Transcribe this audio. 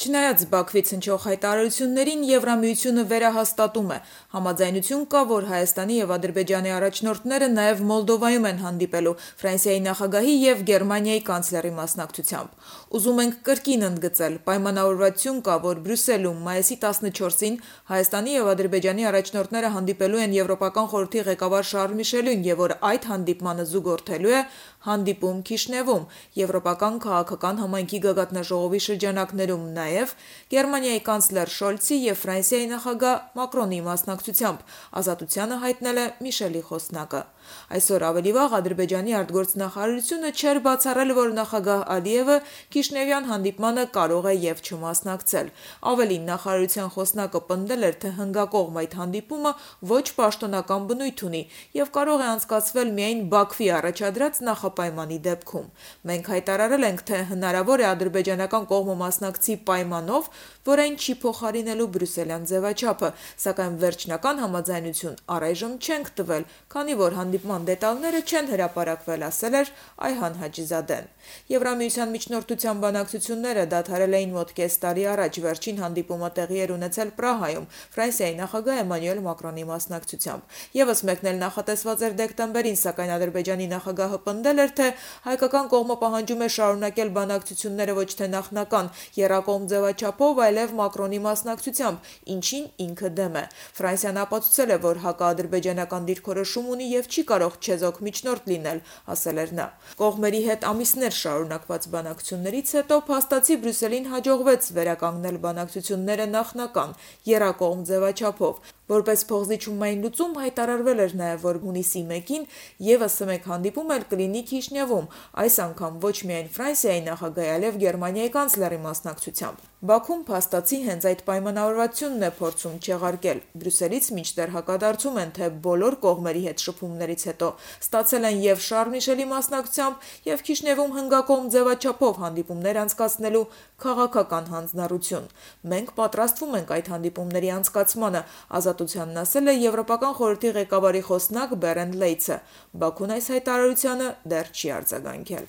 Չնայած Բաքվից հնչող հայտարարություններին Եվրամիությունը վերահաստատում է, համաձայնություն կա, որ Հայաստանի և Ադրբեջանի առաջնորդները նաև Մոլդովայում են հանդիպելու Ֆրանսիայի նախագահի և Գերմանիայի կանցլերի մասնակցությամբ։ Ուզում ենք կրկին ընդգծել, պայմանավորվածություն կա, որ Բրյուսելում մայիսի 14-ին Հայաստանի և Ադրբեջանի առաջնորդները հանդիպելու են Եվրոպական խորհրդի ղեկավար Շարլ Միշելին և որ այդ հանդիպմանը զուգորդելու է հանդիպում Քիշնևում, Եվրոպական քաղաքական համայնքի գագաթնաժողովի շրջանակներում նաև Գերմանիայի կանցլեր Շոլցի և Ֆրանսիայի նախագահ Մակրոնի մասնակցությամբ, ազատությանը հայտնել է Միշելի խոսնակը։ Այսօր ավելի վաղ Ադրբեջանի արտգործնախարարությունը չէր բացառել, որ նախագահ Ալիևը Քիշնևյան հանդիպմանը կարող է և չմասնակցել։ Ավելին, նախարարության խոսնակը պնդել էր, թե հնգակողմ այդ հանդիպումը ոչ պաշտոնական բնույթ ունի և կարող է անցկացվել միայն Բաքվի առաջադրած նախապայմանի դեպքում։ Մենք հայտարարել ենք, թե հնարավոր է ադրբեջանական կողմը մասնակցի պայմանով, որ այն չի փոխարինելու բրյուսելյան ձևաչափը, սակայն վերջնական համաձայնություն առայժմ չենք տվել, քանի որ հանդիպման դետալները չեն հրապարակվել, ասել էր Այհան Հաջիզադեն։ Եվրամիության միջնորդության բանակցությունները դադարել էին մոտ կես տարի առաջ, վերջին հանդիպումը տեղի էր ունեցել Պրահայում Ֆրանսիայի նախագահ Էմանուել Մակրոնի մասնակցությամբ։ Եվս մեկն էլ նախատեսված էր դեկտեմբերին, սակայն Ադրբեջանի նախագահը պնդել էր, թե հայկական կողմը պահանջում է շարունակել բանակցությունները ոչ թե նախնական եռակողմ ձևաչափով, այլև Մակրոնի մասնակցությամբ, ինչին ինքը դեմ է։ Ֆրանսիան ապացուցել է, որ հակաադրբեջանական դիրքորոշում ունի և չի կարող չեզոք միջնորդ լինել, ասել էր նա։ Կողմերի հետ ամիսներ շարունակված բանակցություններից հետո փաստացի Բրյուսելին հաջողվեց վերականգնել բանակցությունները նախնական եռակողմ ձևաչափով։ Որպես փոխզիջումային լուծում հայտարարվել էր նաև, որ հունիսի 1-ին ևս մեկ հանդիպում էլ կլինի Քիշնևում, այս անգամ ոչ միայն Ֆրանսիայի նախագահի, այլև Գերմանիայի կանցլերի մասնակցությամբ։ Բաքուն փաստացի հենց այդ պայմանավորվածությունն է փորձում չեղարկել։ Բրյուսելից մինչդեռ հակադարձում են, թե բոլոր կողմերի հետ շփումներից հետո ստացել են և Շարլ Միշելի մասնակցությամբ, և Քիշնևում հնգակողմ ձևաչափով հանդիպումներ անցկացնելու քաղաքական հանձնառություն։ Մենք պատրաստվում ենք այդ հանդիպումների անցկացմանը, ազատությանն ասել է Եվրոպական խորհրդի ղեկավարի խոսնակ Բերենդ Լեյցը։ Բաքուն այս հայտարարությանը դեռ չի արձագանքել։